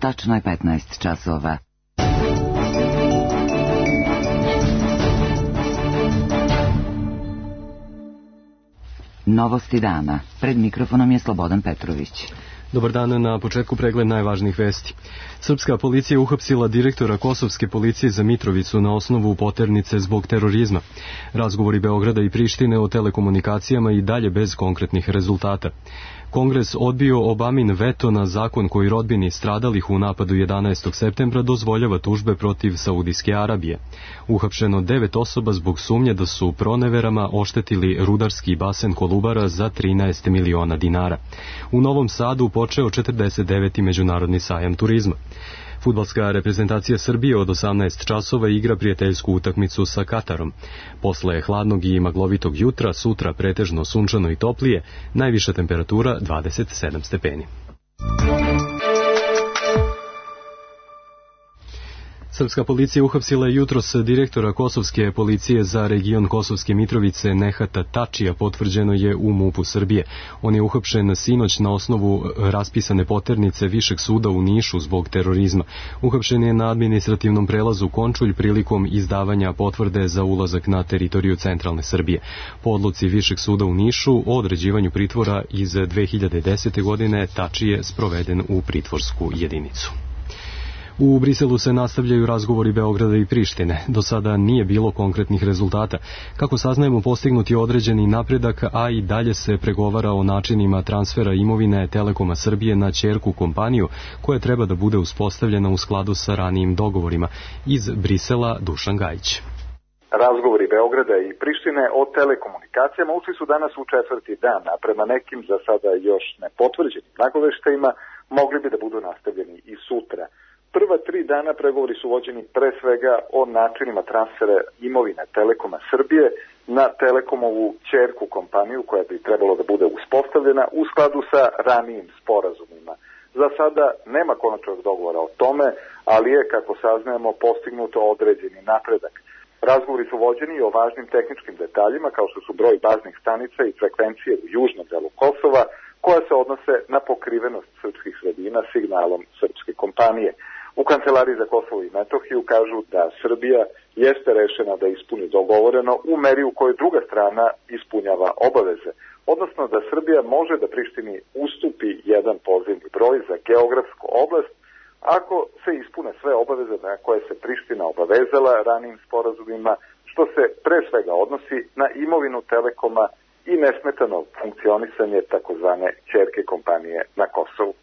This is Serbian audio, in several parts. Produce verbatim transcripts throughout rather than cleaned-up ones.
Tačno je petnaest časova. Novosti dana. Pred mikrofonom je Slobodan Petrović. Dobar dan, na početku pregled najvažnijih vesti. Srpska policija uhapsila direktora Kosovske policije za Mitrovicu na osnovu poternice zbog terorizma. Razgovori Beograda i Prištine o telekomunikacijama i dalje bez konkretnih rezultata. Kongres odbio Obamin veto na zakon koji rodbini stradalih u napadu jedanaestog septembra dozvoljava tužbe protiv Saudijske Arabije. Uhapšeno devet osoba zbog sumnje da su proneverama oštetili rudarski basen Kolubara za trinaest miliona dinara. U Novom Sadu počeo četrdeset deveti međunarodni sajam turizma. Fudbalska reprezentacija Srbije od osamnaest časova igra prijateljsku utakmicu sa Katarom. Posle hladnog i maglovitog jutra, sutra pretežno sunčano i toplije, najviša temperatura dvadeset sedam stepeni. Srpska policija uhapsila je jutros direktora Kosovske policije za region Kosovske Mitrovice Nehata Tačija, potvrđeno je u MUP-u Srbije. On je uhapšen sinoć na osnovu raspisane poternice Višeg suda u Nišu zbog terorizma. Uhapšen je na administrativnom prelazu Končulj prilikom izdavanja potvrde za ulazak na teritoriju centralne Srbije. Po odluci Višeg suda u Nišu o određivanju pritvora iz dve hiljade desete. godine Tači je sproveden u pritvorsku jedinicu. U Briselu se nastavljaju razgovori Beograda i Prištine. Do sada nije bilo konkretnih rezultata. Kako saznajemo, postignuti određeni napredak, a i dalje se pregovara o načinima transfera imovine Telekoma Srbije na ćerku kompaniju, koja treba da bude uspostavljena u skladu sa ranijim dogovorima. Iz Brisela Dušan Gajić. Razgovori Beograda i Prištine o telekomunikacijama ušli su danas u četvrti dan, a prema nekim za sada još nepotvrđenim nagoveštajima mogli bi da budu nastavljeni i sutra. Prva tri dana pregovori su vođeni pre svega o načinima transfera imovine Telekoma Srbije na Telekomovu ćerku kompaniju koja bi trebalo da bude uspostavljena u skladu sa ranijim sporazumima. Za sada nema konačnog dogovora o tome, ali je, kako saznajemo, postignuto određeni napredak. Razgovori su vođeni i o važnim tehničkim detaljima kao što su broj baznih stanica i frekvencije u južnom delu Kosova, koja se odnose na pokrivenost srpskih sredina signalom srpske kompanije. U Kancelariji za Kosovo i Metohiju kažu da Srbija jeste rešena da ispuni dogovoreno u meri u kojoj druga strana ispunjava obaveze, odnosno da Srbija može da Prištini ustupi jedan pozivni broj za geografsku oblast ako se ispune sve obaveze na koje se Priština obavezala ranijim sporazumima, što se pre svega odnosi na imovinu Telekoma i nesmetano funkcionisanje takozvane ćerke kompanije na Kosovu.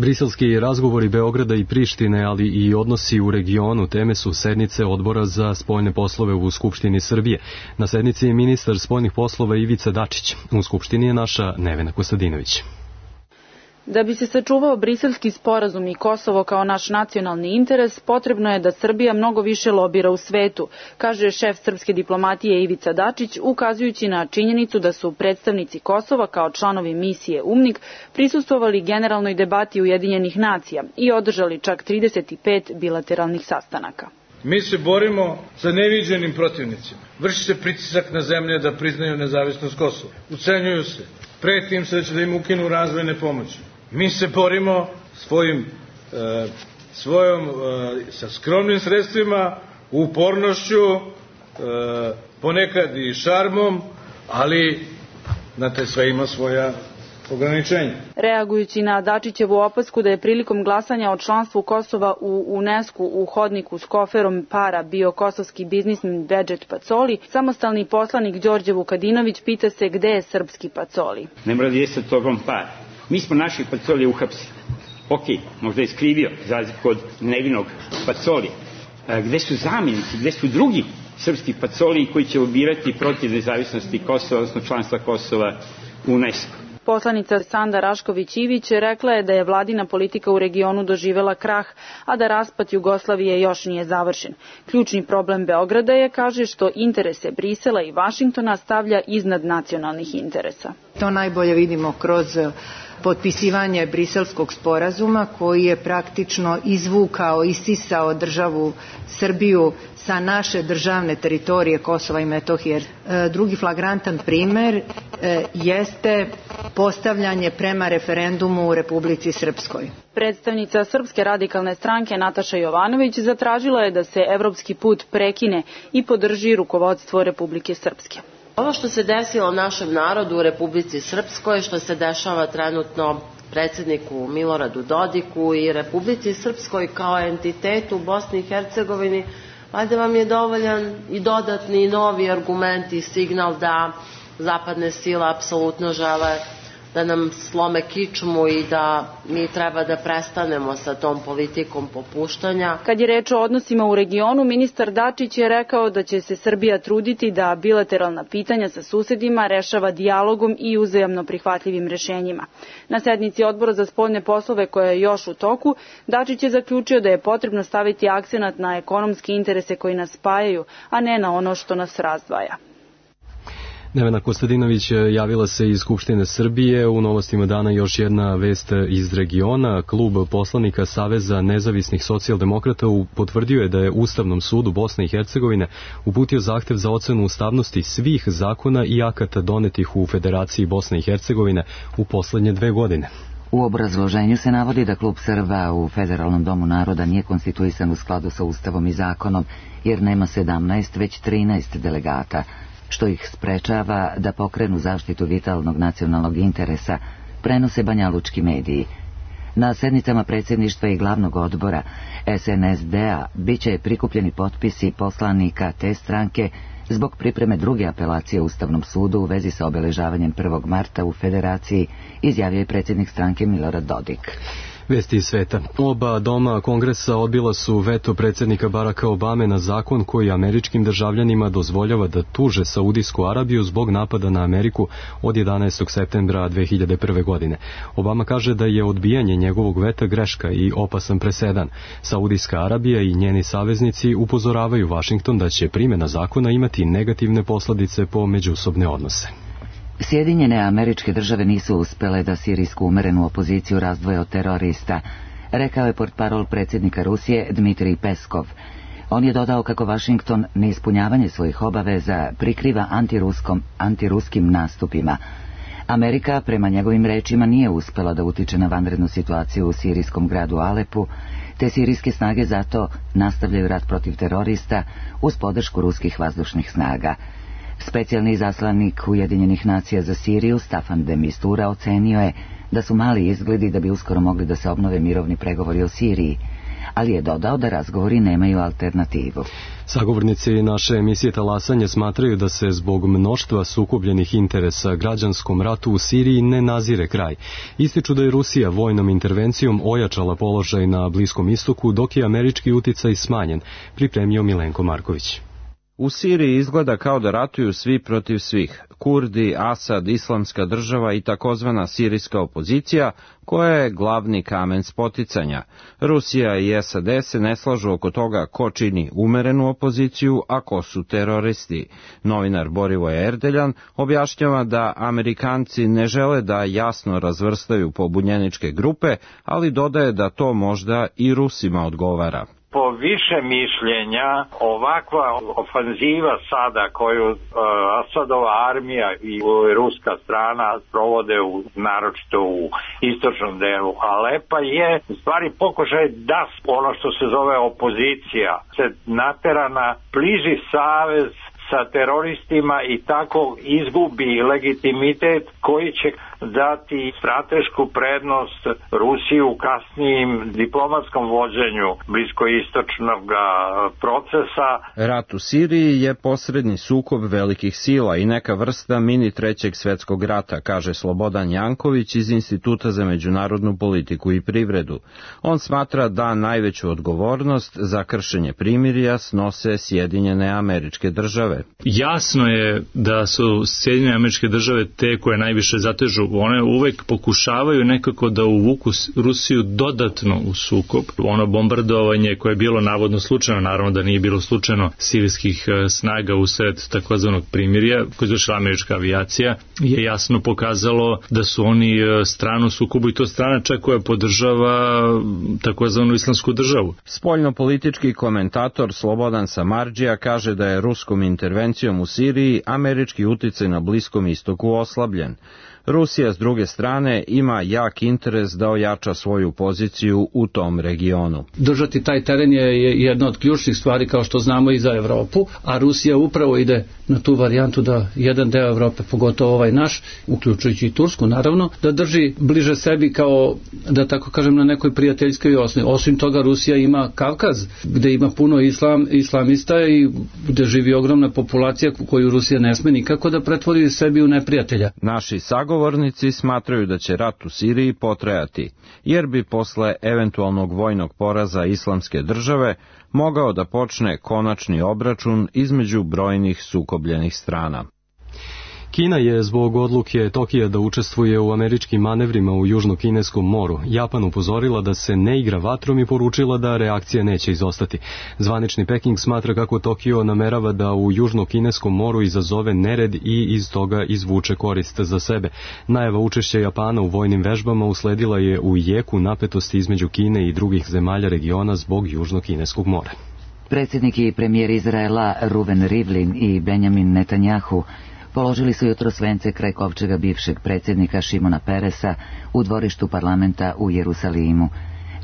Briselski razgovori Beograda i Prištine, ali i odnosi u regionu, teme su sednice Odbora za spoljne poslove u Skupštini Srbije. Na sednici je ministar spoljnih poslova Ivica Dačić. U Skupštini je naša Nevena Kostadinović. Da bi se sačuvao briselski sporazum i Kosovo kao naš nacionalni interes, potrebno je da Srbija mnogo više lobira u svetu, kaže šef srpske diplomatije Ivica Dačić, ukazujući na činjenicu da su predstavnici Kosova kao članovi misije UMNIK prisustvovali generalnoj debati Ujedinjenih nacija i održali čak trideset pet bilateralnih sastanaka. Mi se borimo sa neviđenim protivnicima. Vrši se pritisak na zemlje da priznaju nezavisnost Kosova. Ucenjuju se. Preti im se da će da im ukinu razvojne pomoći. Mi se borimo svojim, e, svojom, e, sa skromnim sredstvima, upornošću, e, ponekad i šarmom, ali, znate, sve ima svoja ograničenja. Reagujući na Dačićevu opasku da je prilikom glasanja o članstvu Kosova u UNESCO u hodniku s koferom para bio kosovski biznismen Bedžet Pacoli, samostalni poslanik Đorđe Vukadinović pita se gde je srpski Pacoli. Ne mora da jeste tobom para. Mi smo naših Pacoli uhapsili. Ok, možda je skrivio, za razliku od nevinog Pacoli. Gde su zamjenici, gde su drugi srpski Pacoli koji će obirati protiv nezavisnosti Kosova, odnosno članstva Kosova u UNESCO? Poslanica Sanda Rašković-Ivić rekla je da je vladina politika u regionu doživela krah, a da raspad Jugoslavije još nije završen. Ključni problem Beograda je, kaže, što interese Brisela i Vašingtona stavlja iznad nacionalnih interesa. To najbolje vidimo kroz potpisivanje Briselskog sporazuma koji je praktično izvukao, isisao državu Srbiju sa naše državne teritorije Kosova i Metohije. Drugi flagrantan primer jeste postavljanje prema referendumu u Republici Srpskoj. Predstavnica Srpske radikalne stranke Nataša Jovanović zatražila je da se evropski put prekine i podrži rukovodstvo Republike Srpske. Ovo što se desilo našem narodu u Republici Srpskoj, što se dešava trenutno predsjedniku Miloradu Dodiku i Republici Srpskoj kao entitetu u Bosni i Hercegovini, valjda vam je dovoljan i dodatni i novi argument i signal da zapadne sile apsolutno žele da nam slome kičmu i da mi treba da prestanemo sa tom politikom popuštanja. Kad je reč o odnosima u regionu, ministar Dačić je rekao da će se Srbija truditi da bilateralna pitanja sa susedima rešava dijalogom i uzajamno prihvatljivim rešenjima. Na sednici Odbora za spoljne poslove koja je još u toku, Dačić je zaključio da je potrebno staviti akcenat na ekonomske interese koji nas spajaju, a ne na ono što nas razdvaja. Nevena Kostadinović javila se iz Skupštine Srbije. U novostima dana još jedna vest iz regiona. Klub poslanika Saveza nezavisnih socijaldemokrata potvrdio je da je Ustavnom sudu Bosne i Hercegovine uputio zahtev za ocenu ustavnosti svih zakona i akata donetih u Federaciji Bosne i Hercegovine u poslednje dve godine. U obrazloženju se navodi da klub Srba u Federalnom domu naroda nije konstituisan u skladu sa Ustavom i zakonom, jer nema sedamnaest, već trinaest delegata, što ih sprečava da pokrenu zaštitu vitalnog nacionalnog interesa, prenose banjalučki mediji. Na sednicama predsjedništva i glavnog odbora S N S D-a biće prikupljeni potpisi poslanika te stranke zbog pripreme druge apelacije Ustavnom sudu u vezi sa obeležavanjem prvog marta u Federaciji, izjavio je predsjednik stranke Milorad Dodik. Vesti iz sveta. Oba doma kongresa odbila su veto predsjednika Baracka Obame na zakon koji američkim državljanima dozvoljava da tuže Saudijsku Arabiju zbog napada na Ameriku od jedanaestog septembra dve hiljade prve. godine. Obama kaže da je odbijanje njegovog veta greška i opasan presedan. Saudijska Arabija i njeni saveznici upozoravaju Vašington da će primjena zakona imati negativne posljedice po međusobne odnose. Sjedinjene Američke Države nisu uspele da sirijsku umerenu opoziciju razdvoje od terorista, rekao je portparol predsjednika Rusije Dmitrij Peskov. On je dodao kako Vašington neispunjavanje svojih obaveza prikriva antiruskom, antiruskim nastupima. Amerika, prema njegovim rečima, nije uspela da utiče na vanrednu situaciju u sirijskom gradu Alepu, te sirijske snage zato nastavljaju rat protiv terorista uz podršku ruskih vazdušnih snaga. Specijalni izaslanik Ujedinjenih nacija za Siriju Staffan de Mistura ocenio je da su mali izgledi da bi uskoro mogli da se obnove mirovni pregovori o Siriji, ali je dodao da razgovori nemaju alternativu. Sagovornici naše emisije Talasanje smatraju da se zbog mnoštva sukobljenih interesa građanskom ratu u Siriji ne nazire kraj. Ističu da je Rusija vojnom intervencijom ojačala položaj na Bliskom istoku, dok je američki uticaj smanjen, pripremio Milenko Marković. U Siriji izgleda kao da ratuju svi protiv svih. Kurdi, Asad, Islamska država i takozvana sirijska opozicija, koja je glavni kamen spoticanja. Rusija i S A D se ne slažu oko toga ko čini umerenu opoziciju, a ko su teroristi. Novinar Borivoje Erdeljan objašnjava da Amerikanci ne žele da jasno razvrstaju pobunjeničke grupe, ali dodaje da to možda i Rusima odgovara. Po više mišljenja, ovakva ofanziva sada koju uh, Asadova armija i ruska strana provode u, naročito u istočnom delu Alepa je u stvari pokušaj da ono što se zove opozicija se natera na bliži savez sa teroristima i tako izgubi legitimitet koji će dati stratešku prednost Rusiji u kasnijim diplomatskom vođenju bliskoistočnog procesa. Rat u Siriji je posredni sukob velikih sila i neka vrsta mini trećeg svetskog rata, kaže Slobodan Janković iz Instituta za međunarodnu politiku i privredu. On smatra da najveću odgovornost za kršenje primirja snose Sjedinjene Američke Države. Jasno je da su Sjedinjene Američke Države te koje najviše zatežu one uvek pokušavaju nekako da uvuku Rusiju dodatno u sukob. Ono bombardovanje koje je bilo navodno slučajno, naravno da nije bilo slučajno, sirijskih snaga usred takozvanog primirja koje izvršila američka avijacija, je jasno pokazalo da su oni stranu sukobu i to strana čak koja podržava takozvanu islamsku državu. Spoljnopolitički komentator Slobodan Samardžija kaže da je ruskom intervencijom u Siriji američki uticaj na Bliskom istoku oslabljen. Rusija, s druge strane, ima jak interes da ojača svoju poziciju u tom regionu. Držati taj teren je jedna od ključnih stvari, kao što znamo, i za Evropu, a Rusija upravo ide na tu varijantu da jedan deo Evrope, pogotovo ovaj naš, uključujući i Tursku, naravno, da drži bliže sebi kao, da tako kažem, na nekoj prijateljskoj osnovi. Osim toga, Rusija ima Kavkaz, gde ima puno islam, islamista i gde živi ogromna populacija koju Rusija ne sme nikako da pretvori sebi u neprijatelja. Naši sagovornici smatraju da će rat u Siriji potrajati, jer bi posle eventualnog vojnog poraza islamske države mogao da počne konačni obračun između brojnih sukobljenih strana. Kina je zbog odluke Tokija da učestvuje u američkim manevrima u Južno-Kineskom moru Japan upozorila da se ne igra vatrom i poručila da reakcija neće izostati. Zvanični Peking smatra kako Tokio namerava da u Južno-Kineskom moru izazove nered i iz toga izvuče korist za sebe. Najava učešća Japana u vojnim vežbama usledila je u jeku napetosti između Kine i drugih zemalja regiona zbog Južno-Kineskog mora. Predsjednik i premijer Izraela Ruven Rivlin i Benjamin Netanjahu položili su jutros vence kraj kovčega bivšeg predsjednika Šimona Peresa u dvorištu parlamenta u Jerusalimu.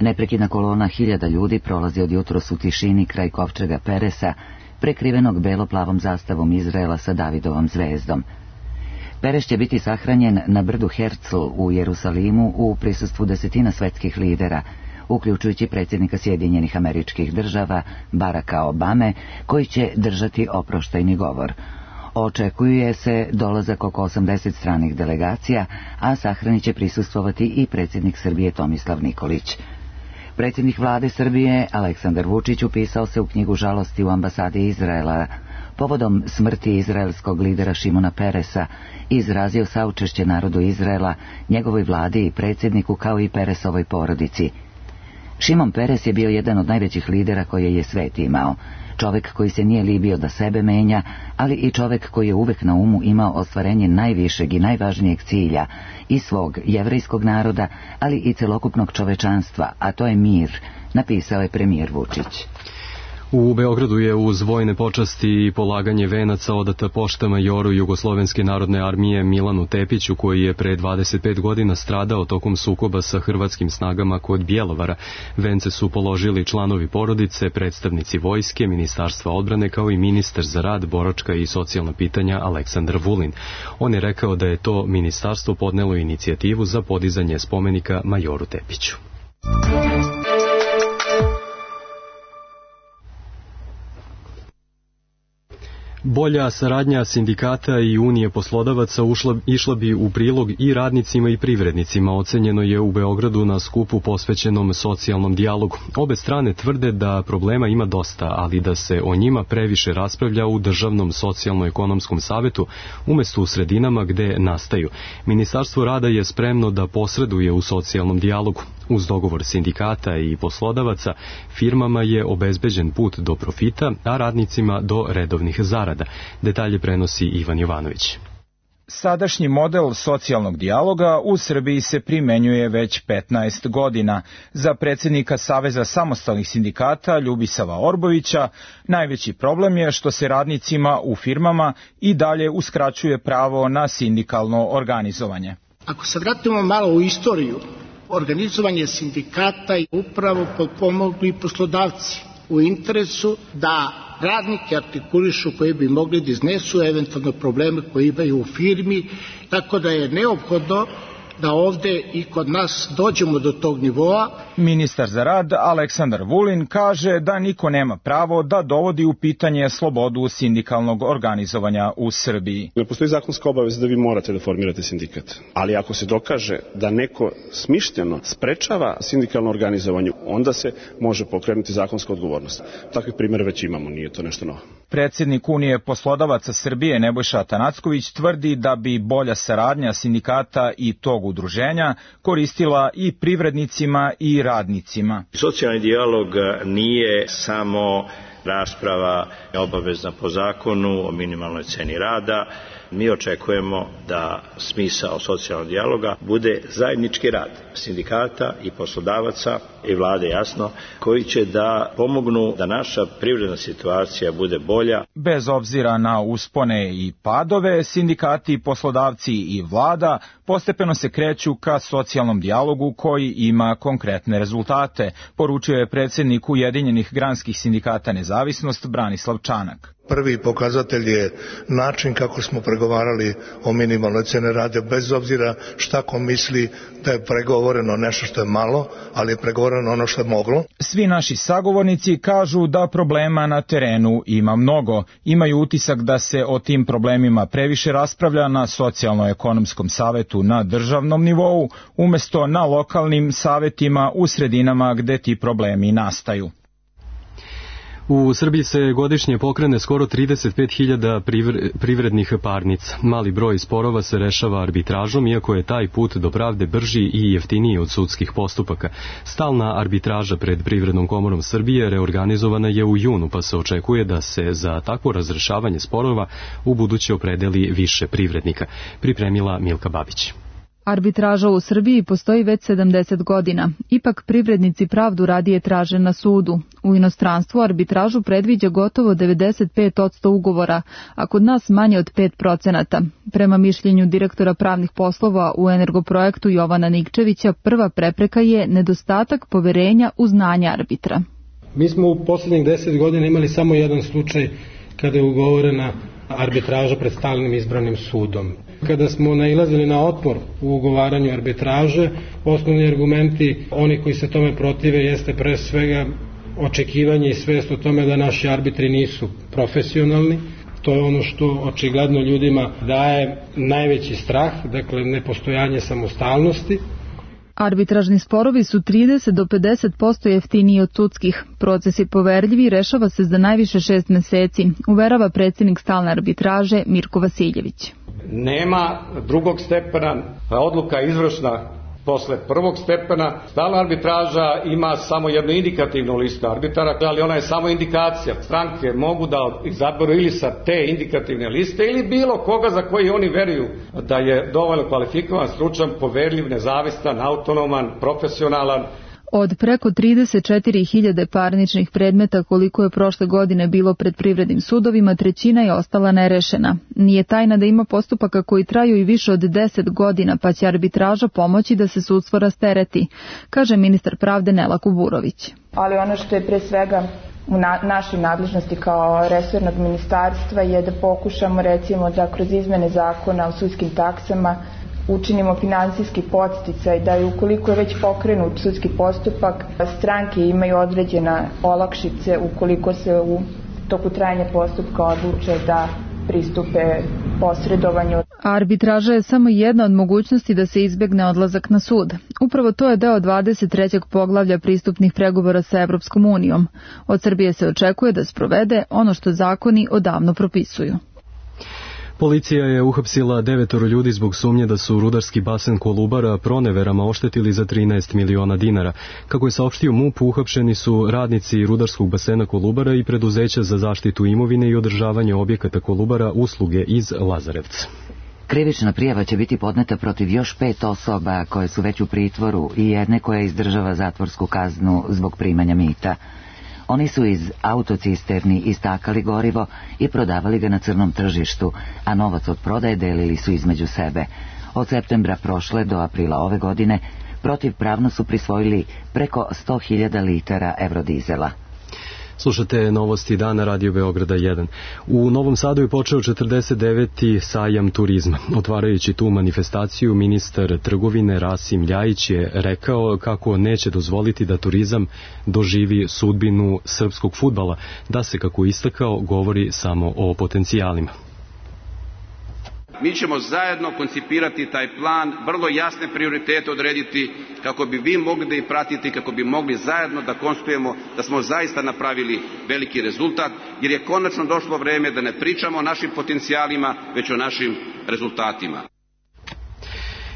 Neprekidna kolona hiljada ljudi prolazi od jutros u tišini kraj kovčega Peresa, prekrivenog belo-plavom zastavom Izraela sa Davidovom zvezdom. Pereš će biti sahranjen na brdu Herzl u Jerusalimu u prisustvu desetina svetskih lidera, uključujući predsjednika Sjedinjenih Američkih Država Baracka Obame, koji će držati oproštajni govor. Očekuje se dolazak oko osamdeset stranih delegacija, a sahrani će prisustvovati i predsjednik Srbije Tomislav Nikolić. Predsjednik vlade Srbije Aleksandar Vučić upisao se u knjigu žalosti u ambasadi Izraela povodom smrti izraelskog lidera Šimona Peresa i izrazio saučešće narodu Izraela, njegovoj vladi i predsjedniku kao i Peresovoj porodici. Šimon Peres je bio jedan od najvećih lidera koje je svet imao. Čovjek koji se nije libio da sebe menja, ali i čovjek koji je uvek na umu imao ostvarenje najvišeg i najvažnijeg cilja i svog jevrejskog naroda, ali i celokupnog čovečanstva, a to je mir, napisao je premijer Vučić. U Beogradu je uz vojne počasti i polaganje venaca odata pošta majoru Jugoslovenske narodne armije Milanu Tepiću, koji je pre dvadeset pet godina stradao tokom sukoba sa hrvatskim snagama kod Bjelovara. Vence su položili članovi porodice, predstavnici vojske, Ministarstva odbrane, kao i ministar za rad, boračka i socijalna pitanja Aleksandar Vulin. On je rekao da je to ministarstvo podnelo inicijativu za podizanje spomenika majoru Tepiću. Bolja saradnja sindikata i Unije poslodavaca ušla, išla bi u prilog i radnicima i privrednicima, ocenjeno je u Beogradu na skupu posvećenom socijalnom dijalogu. Obe strane tvrde da problema ima dosta, ali da se o njima previše raspravlja u Državnom socijalno-ekonomskom savetu, umjesto u sredinama gde nastaju. Ministarstvo rada je spremno da posreduje u socijalnom dijalogu. Uz dogovor sindikata i poslodavaca, firmama je obezbeđen put do profita, a radnicima do redovnih zarada. Detalje prenosi Ivan Jovanović. Sadašnji model socijalnog dijaloga u Srbiji se primenjuje već petnaest godina. Za predsjednika Saveza samostalnih sindikata Ljubisava Orbovića najveći problem je što se radnicima u firmama i dalje uskraćuje pravo na sindikalno organizovanje. Ako se vratimo malo u istoriju, organizovanje sindikata i upravo potpomogli poslodavci u interesu da radnike artikulišu koji bi mogli da iznesu eventualno probleme koje imaju u firmi, tako da je neophodno da ovde i kod nas dođemo do tog nivoa. Ministar za rad Aleksandar Vulin kaže da niko nema pravo da dovodi u pitanje slobodu sindikalnog organizovanja u Srbiji. Ne postoji zakonska obaveza da vi morate da formirate sindikat, ali ako se dokaže da neko smišljeno sprečava sindikalno organizovanje, onda se može pokrenuti zakonska odgovornost. Takvih primjera već imamo, nije to nešto novo. Predsednik Unije poslodavaca Srbije Nebojša Atanacković tvrdi da bi bolja saradnja sindikata i tog udruženja koristila i privrednicima i radnicima. Socijalni dijalog nije samo rasprava obavezna po zakonu o minimalnoj ceni rada. Mi očekujemo da smisao socijalnog dijaloga bude zajednički rad sindikata i poslodavaca i vlade, jasno, koji će da pomognu da naša privredna situacija bude bolja. Bez obzira na uspone i padove, sindikati, poslodavci i vlada postepeno se kreću ka socijalnom dijalogu koji ima konkretne rezultate, poručio je predsednik Ujedinjenih granskih sindikata Nezavisnost Branislav Čanak. Prvi pokazatelj je način kako smo pregovarali o minimalnoj ceni rada, bez obzira šta ko misli da je pregovoreno nešto što je malo, ali je pregovoreno ono što je moglo. Svi naši sagovornici kažu da problema na terenu ima mnogo. Imaju utisak da se o tim problemima previše raspravlja na socijalno-ekonomskom savetu na državnom nivou, umesto na lokalnim savetima u sredinama gde ti problemi nastaju. U Srbiji se godišnje pokrene skoro trideset pet hiljada privrednih parnica. Mali broj sporova se rešava arbitražom, iako je taj put do pravde brži i jeftiniji od sudskih postupaka. Stalna arbitraža pred Privrednom komorom Srbije reorganizovana je u junu, pa se očekuje da se za takvo razrešavanje sporova u buduće opredeli više privrednika. Pripremila Milka Babić. Arbitraža u Srbiji postoji već sedamdeset godina. Ipak privrednici pravdu radije traže na sudu. U inostranstvu arbitražu predviđa gotovo devedeset pet posto ugovora, a kod nas manje od pet procenata. Prema mišljenju direktora pravnih poslova u Energoprojektu Jovana Nikčevića, prva prepreka je nedostatak poverenja u znanje arbitra. Mi smo u poslednjih deset godina imali samo jedan slučaj kada je ugovorena arbitraža pred stalnim izbranim sudom. Kada smo nailazili na otpor u ugovaranju arbitraže, osnovni argumenti oni koji se tome protive jeste pre svega očekivanje i svest o tome da naši arbitri nisu profesionalni. To je ono što očigledno ljudima daje najveći strah, dakle nepostojanje samostalnosti. Arbitražni sporovi su trideset do pedeset posto jeftiniji od sudskih. Proces je poverljiv i rešava se za najviše šest meseci, uverava predsjednik stalne arbitraže Mirko Vasiljević. Nema drugog stepena, odluka izvršna posle prvog stepena. Stalna arbitraža ima samo jednu indikativnu listu arbitara, ali ona je samo indikacija. Stranke mogu da izaberu ili sa te indikativne liste ili bilo koga za koji oni veruju da je dovoljno kvalifikovan, stručan, poverljiv, nezavistan, autonoman, profesionalan. Od preko trideset četiri hiljade parničnih predmeta koliko je prošle godine bilo pred privrednim sudovima, trećina je ostala nerešena. Nije tajna da ima postupaka koji traju i više od deset godina, pa će arbitraža pomoći da se sudstvo rastereti, kaže ministar pravde Nela Kuburović. Ali ono što je pre svega u na, našoj nadležnosti kao resornog ministarstva je da pokušamo recimo da kroz izmene zakona o sudskim taksama učinimo finansijski podsticaj da i ukoliko je već pokrenut sudski postupak, stranke imaju određena olakšice ukoliko se u toku trajanja postupka odluče da pristupe posredovanju. Arbitraža je samo jedna od mogućnosti da se izbegne odlazak na sud. Upravo to je deo dvadeset trećeg poglavlja pristupnih pregovora sa Evropskom unijom. Od Srbije se očekuje da sprovede ono što zakoni odavno propisuju. Policija je uhapsila devetoro ljudi zbog sumnje da su rudarski basen Kolubara proneverama oštetili za trinaest miliona dinara. Kako je saopštio MUP, uhapšeni su radnici rudarskog basena Kolubara i preduzeća za zaštitu imovine i održavanje objekata Kolubara usluge iz Lazarevca. Krivična prijava će biti podneta protiv još pet osoba koje su već u pritvoru i jedne koja izdržava zatvorsku kaznu zbog primanja mita. Oni su iz autocisterni istakali gorivo i prodavali ga na crnom tržištu, a novac od prodaje delili su između sebe. Od septembra prošle do aprila ove godine protivpravno su prisvojili preko sto hiljada litara evrodizela. Slušate novosti dana Radio Beograda jedan. U Novom Sadu je počeo četrdeset deveti sajam turizma. Otvarajući tu manifestaciju, ministar trgovine Rasim Ljajić je rekao kako neće dozvoliti da turizam doživi sudbinu srpskog fudbala, da se, kako istakao, govori samo o potencijalima. Mi ćemo zajedno koncipirati taj plan, vrlo jasne prioritete odrediti kako bi vi mogli da ih pratite, kako bi mogli zajedno da konstatujemo da smo zaista napravili veliki rezultat, jer je konačno došlo vreme da ne pričamo o našim potencijalima, već o našim rezultatima.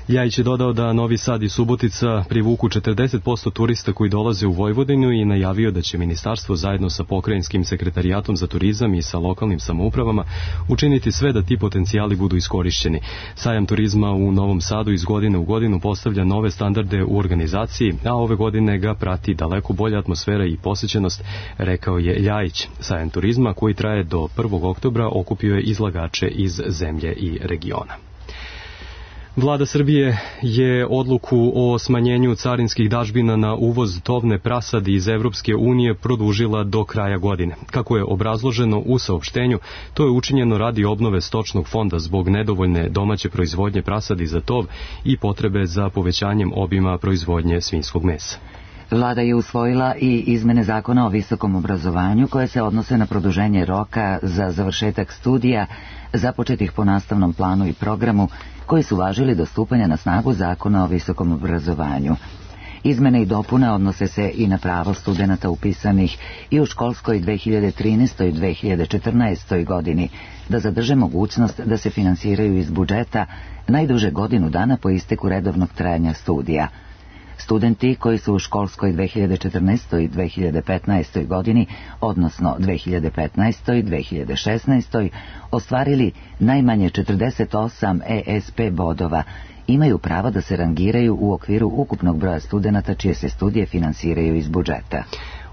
Ljajić je dodao da Novi Sad i Subotica privuku četrdeset posto turista koji dolaze u Vojvodinu i najavio da će ministarstvo zajedno sa pokrajinskim sekretarijatom za turizam i sa lokalnim samoupravama učiniti sve da ti potencijali budu iskorišćeni. Sajam turizma u Novom Sadu iz godine u godinu postavlja nove standarde u organizaciji, a ove godine ga prati daleko bolja atmosfera i posećenost, rekao je Ljajić. Sajam turizma koji traje do prvog oktobra okupio je izlagače iz zemlje i regiona. Vlada Srbije je odluku o smanjenju carinskih dažbina na uvoz tovne prasadi iz Evropske unije produžila do kraja godine. Kako je obrazloženo u saopštenju, to je učinjeno radi obnove stočnog fonda zbog nedovoljne domaće proizvodnje prasadi za tov i potrebe za povećanjem obima proizvodnje svinjskog mesa. Vlada je usvojila i izmene zakona o visokom obrazovanju koje se odnose na produženje roka za završetak studija započetih po nastavnom planu i programu koji su važili do stupanja na snagu zakona o visokom obrazovanju. Izmene i dopune odnose se i na pravo studenata upisanih i u školskoj dve hiljade trinaestoj dve hiljade četrnaestoj godini da zadrže mogućnost da se finansiraju iz budžeta najduže godinu dana po isteku redovnog trajanja studija. Studenti koji su u školskoj dve hiljade četrnaestoj dve hiljade petnaestoj godini, odnosno dve hiljade petnaestoj dve hiljade šesnaestoj ostvarili najmanje četrdeset osam E S P bodova, imaju pravo da se rangiraju u okviru ukupnog broja studenata čije se studije finansiraju iz budžeta.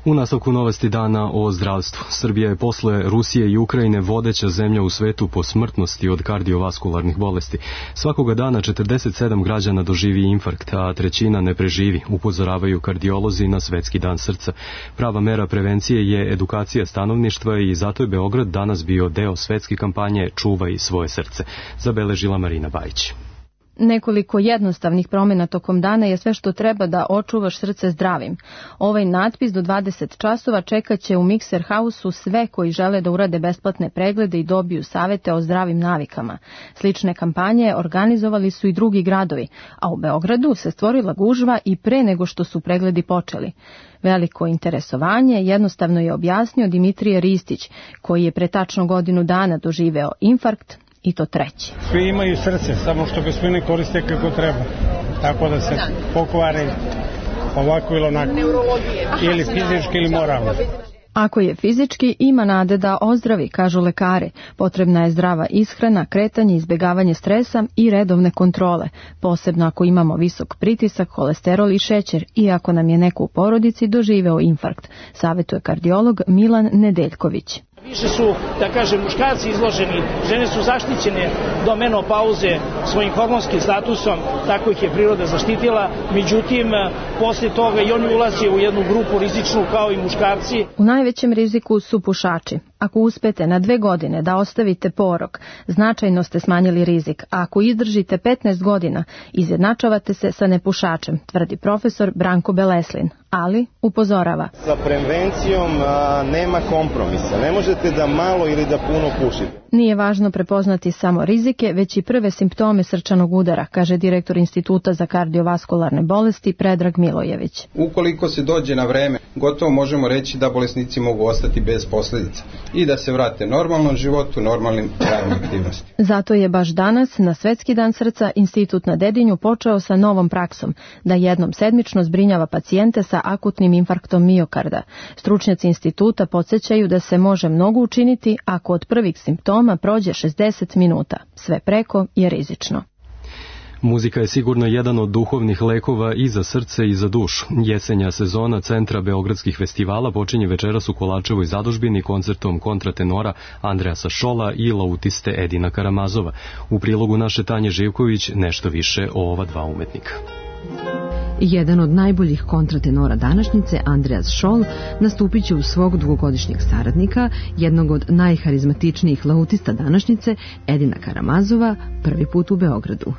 U nastavku novosti dana o zdravstvu. Srbija je posle Rusije i Ukrajine vodeća zemlja u svetu po smrtnosti od kardiovaskularnih bolesti. Svakoga dana četrdeset sedam građana doživi infarkt, a trećina ne preživi, upozoravaju kardiolozi na Svetski dan srca. Prava mera prevencije je edukacija stanovništva i zato je Beograd danas bio deo svetske kampanje Čuvaj svoje srce, zabeležila Marina Bajić. Nekoliko jednostavnih promjena tokom dana je sve što treba da očuvaš srce zdravim. Ovaj natpis do dvadeset časova čekat će u Mikser Hausu sve koji žele da urade besplatne preglede i dobiju savete o zdravim navikama. Slične kampanje organizovali su i drugi gradovi, a u Beogradu se stvorila gužva i pre nego što su pregledi počeli. Veliko interesovanje jednostavno je objasnio Dimitrije Ristić, koji je pre tačno godinu dana doživeo infarkt, i to treći. Svi imaju srce, samo što ga svi ne koriste kako treba. Tako da se pokvare ovako ili onako. Ili fizički ili moralno. Ako je fizički, ima nade da ozdravi, kažu lekari. Potrebna je zdrava ishrana, kretanje, izbjegavanje stresa i redovne kontrole, posebno ako imamo visok pritisak, holesterol i šećer i ako nam je neko u porodici doživeo infarkt, savjetuje kardiolog Milan Nedeljković. Više su, da kažem, muškarci izloženi, žene su zaštićene do menopauze svojim hormonskim statusom, tako ih je priroda zaštitila, međutim, posle toga i oni ulaze u jednu grupu rizičnu kao i muškarci. U najvećem riziku su pušači. Ako uspete na dve godine da ostavite porok, značajno ste smanjili rizik, a ako izdržite petnaest godina, izjednačavate se sa nepušačem, tvrdi profesor Branko Beleslin, ali upozorava. Sa prevencijom a, nema kompromisa, ne možete da malo ili da puno pušite. Nije važno prepoznati samo rizike, već i prve simptome srčanog udara, kaže direktor Instituta za kardiovaskularne bolesti Predrag Milojević. Ukoliko se dođe na vreme, gotovo možemo reći da bolesnici mogu ostati bez posljedica i da se vrate normalnom životu, normalnim radnim aktivnostima. Zato je baš danas, na Svetski dan srca, Institut na Dedinju počeo sa novom praksom, da jednom sedmično zbrinjava pacijente sa akutnim infarktom miokarda. Stručnjaci instituta podsjećaju da se može mnogo učiniti ako od prvih simptoma prođe šezdeset minuta. Sve preko je rizično. Muzika je sigurno jedan od duhovnih lekova i za srce i za dušu. Jesenja sezona Centra beogradskih festivala počinje večeras u Kolarčevoj zadužbini koncertom kontratenora Andreasa Šola i lautiste Edina Karamazova. U prilogu naše Tanje Živković nešto više o ova dva umetnika. Jedan od najboljih kontratenora današnjice, Andreas Scholl, nastupit će u svog dugogodišnjeg saradnika, jednog od najharizmatičnijih lautista današnjice, Edina Karamazova, prvi put u Beogradu.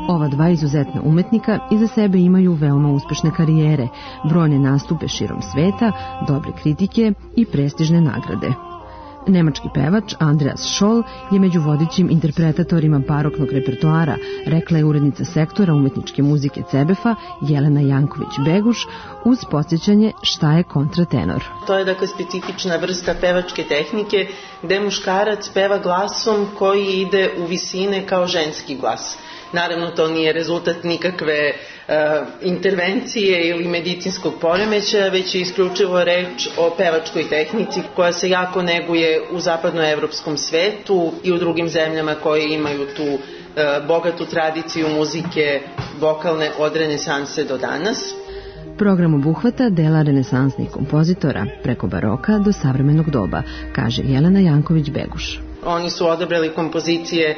Ova dva izuzetna umetnika iza sebe imaju veoma uspešne karijere, brojne nastupe širom sveta, dobre kritike i prestižne nagrade. Nemački pevač Andreas Scholl je među vodećim interpretatorima baroknog repertoara, rekla je urednica sektora umetničke muzike C E B E F-a Jelena Janković-Beguš uz podsjećanje šta je kontratenor. To je dakle specifična vrsta pevačke tehnike gde muškarac peva glasom koji ide u visine kao ženski glas. Naravno, to nije rezultat nikakve uh, intervencije ili medicinskog poremećaja, već je isključivo reč o pevačkoj tehnici koja se jako neguje u zapadnoevropskom svetu i u drugim zemljama koje imaju tu uh, bogatu tradiciju muzike vokalne od renesanse do danas. Program obuhvata dela renesansnih kompozitora preko baroka do savremenog doba, kaže Jelena Janković-Beguš. Oni su odabrali kompozicije e,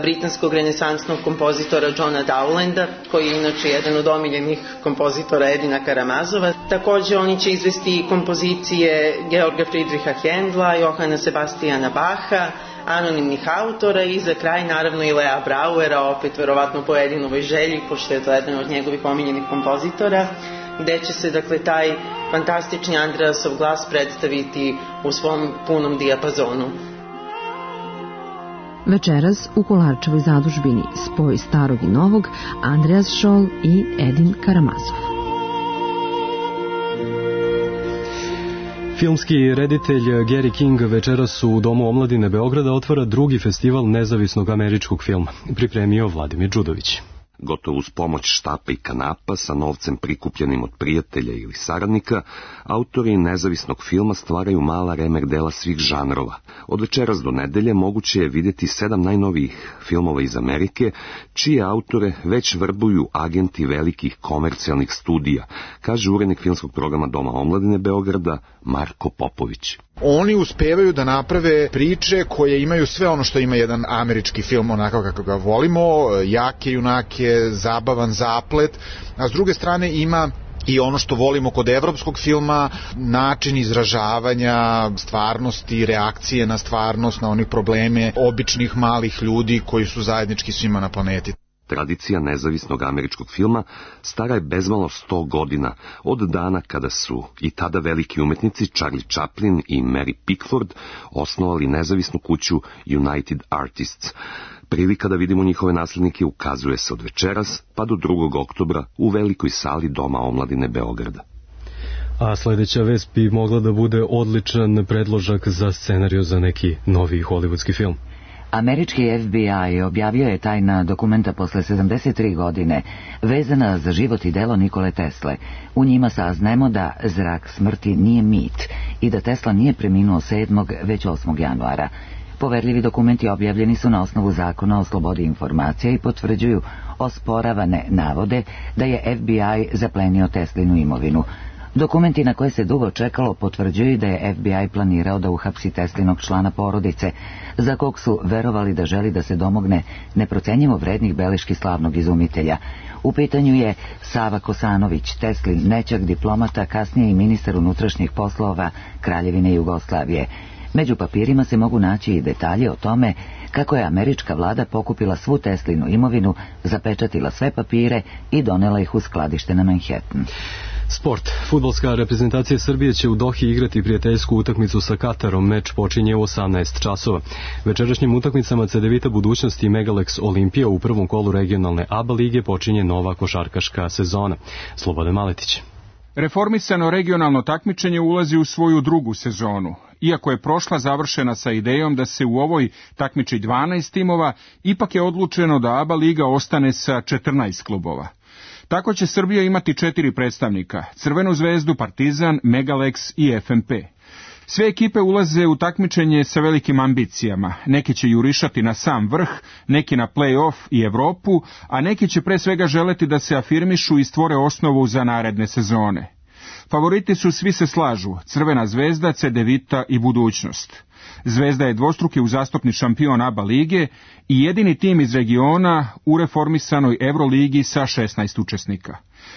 britanskog renesansnog kompozitora Johna Dowlanda, koji je inače jedan od omiljenih kompozitora Edina Karamazova. Takođe oni će izvesti kompozicije Georga Friedricha Händla, Johana Sebastiana Bacha, anonimnih autora i za kraj naravno i Lea Brauera, opet verovatno po Edinovoj želji, pošto je to jedan od njegovih omiljenih kompozitora, gde će se dakle taj fantastični Andreasov glas predstaviti u svom punom dijapazonu. Večeras u Kolarčevoj zadužbini spoj starog i novog, Andreas Scholl i Edin Karamazov. Filmski reditelj Gary King večeras u Domu omladine Beograda otvara drugi festival nezavisnog američkog filma. Pripremio Vladimir Đudović. Gotovo uz pomoć štapa i kanapa sa novcem prikupljenim od prijatelja ili saradnika, autori nezavisnog filma stvaraju mala remek dela svih žanrova. Od večeras do nedelje moguće je vidjeti sedam najnovijih filmova iz Amerike, čije autore već vrbuju agenti velikih komercijalnih studija, kaže urednik filmskog programa Doma omladine Beograda Marko Popović. Oni uspevaju da naprave priče koje imaju sve ono što ima jedan američki film, onako kako ga volimo, jake junake, zabavan zaplet, a s druge strane ima i ono što volimo kod evropskog filma, način izražavanja stvarnosti, reakcije na stvarnost, na onih probleme običnih malih ljudi koji su zajednički svima na planeti. Tradicija nezavisnog američkog filma stara je bezmalo sto godina, od dana kada su i tada veliki umetnici Charlie Chaplin i Mary Pickford osnovali nezavisnu kuću United Artists. Prilika da vidimo njihove naslednike ukazuje se od večeras pa do drugog oktobra u velikoj sali Doma omladine Beograda. A sledeća vest bi mogla da bude odličan predložak za scenariju za neki novi hollywoodski film. Američki F B I objavio je tajna dokumenta posle sedamdeset tri godine vezana za život i delo Nikole Tesle. U njima saznajemo da zrak smrti nije mit i da Tesla nije preminuo sedmog već osmog januara. Poverljivi dokumenti objavljeni su na osnovu zakona o slobodi informacija i potvrđuju osporavane navode da je F B I zaplenio Teslinu imovinu. Dokumenti na koje se dugo čekalo potvrđuju da je F B I planirao da uhapsi Teslinog člana porodice, za kog su verovali da želi da se domogne neprocenjivo vrednih beleški slavnog izumitelja. U pitanju je Sava Kosanović, Teslin nećak diplomata, kasnije i ministar unutrašnjih poslova Kraljevine Jugoslavije. Među papirima se mogu naći i detalje o tome kako je američka vlada pokupila svu Teslinu imovinu, zapečatila sve papire i donela ih u skladište na Manhattan. Sport. Fudbalska reprezentacija Srbije će u Dohi igrati prijateljsku utakmicu sa Katarom. Meč počinje u osamnaest časova. Večerašnjim utakmicama Cedevita Budućnosti i Megalex Olimpija u prvom kolu regionalne A B A lige počinje nova košarkaška sezona. Slobodan Maletić. Reformisano regionalno takmičenje ulazi u svoju drugu sezonu. Iako je prošla završena sa idejom da se u ovoj takmiči dvanaest timova, ipak je odlučeno da A B A liga ostane sa četrnaest klubova. Tako će Srbija imati četiri predstavnika, Crvenu zvezdu, Partizan, Megalex i F M P. Sve ekipe ulaze u takmičenje sa velikim ambicijama, neki će jurišati na sam vrh, neki na play-off i Evropu, a neki će pre svega želeti da se afirmišu i stvore osnovu za naredne sezone. Favoriti su, svi se slažu, Crvena zvezda, Cedevita i Budućnost. Zvezda je dvostruki uzastopni šampion A B A lige i jedini tim iz regiona u reformisanoj Euroligi sa šesnaest učesnika.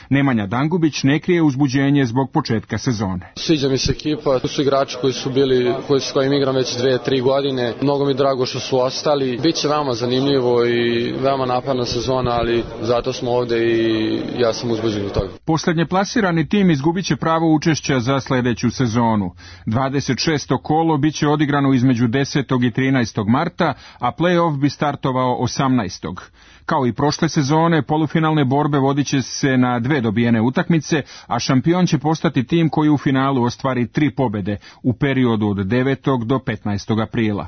Nemanja Dangubić ne krije uzbuđenje zbog početka sezone. Sviđa mi se ekipa, tu su igrači koji su bili, koji s kojim igram već dve, tri godine. Mnogo mi drago što su ostali. Biće veoma zanimljivo i veoma naporna sezona, ali zato smo ovde i ja sam uzbuđen od toga. Poslednje plasirani tim izgubit će pravo učešća za sledeću sezonu. dvadeset šesto kolo biće odigrano između desetog i trinaestog marta, a play-off bi startovao osamnaestog Kao i prošle sezone, polufinalne borbe vodit će se na dve dobijene utakmice, a šampion će postati tim koji u finalu ostvari tri pobede u periodu od devetog do petnaestog aprila.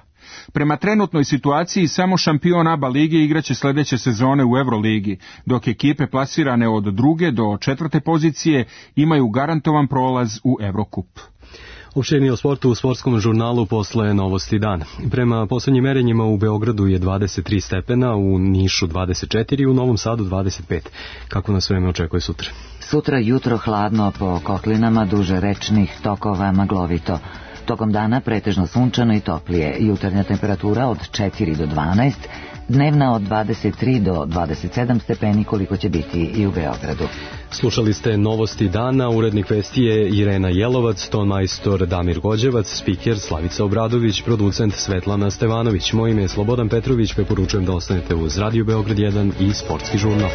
Prema trenutnoj situaciji, samo šampion A B A lige igraće sledeće sezone u Euroligi, dok ekipe plasirane od druge do četvrte pozicije imaju garantovan prolaz u Evrokup. Opširni o sportu u sportskom žurnalu posle Novosti dana. Prema poslednjim merenjima u Beogradu je dvadeset tri stepena, u Nišu dvadeset četiri, u Novom Sadu dvadeset pet. Kako nas vreme očekuje sutra? Sutra jutro hladno po kotlinama duže rečnih tokova maglovito. Tokom dana pretežno sunčano i toplije. Jutarnja temperatura od četiri do dvanaest, dnevna od dvadeset tri do dvadeset sedam stepeni koliko će biti i u Beogradu. Slušali ste Novosti dana, urednik vesti je Irena Jelovac, ton majstor Damir Gođevac, spiker Slavica Obradović, producent Svetlana Stevanović. Moje ime je Slobodan Petrović, preporučujem da ostanete uz Radio Beograd jedan i Sportski žurnal.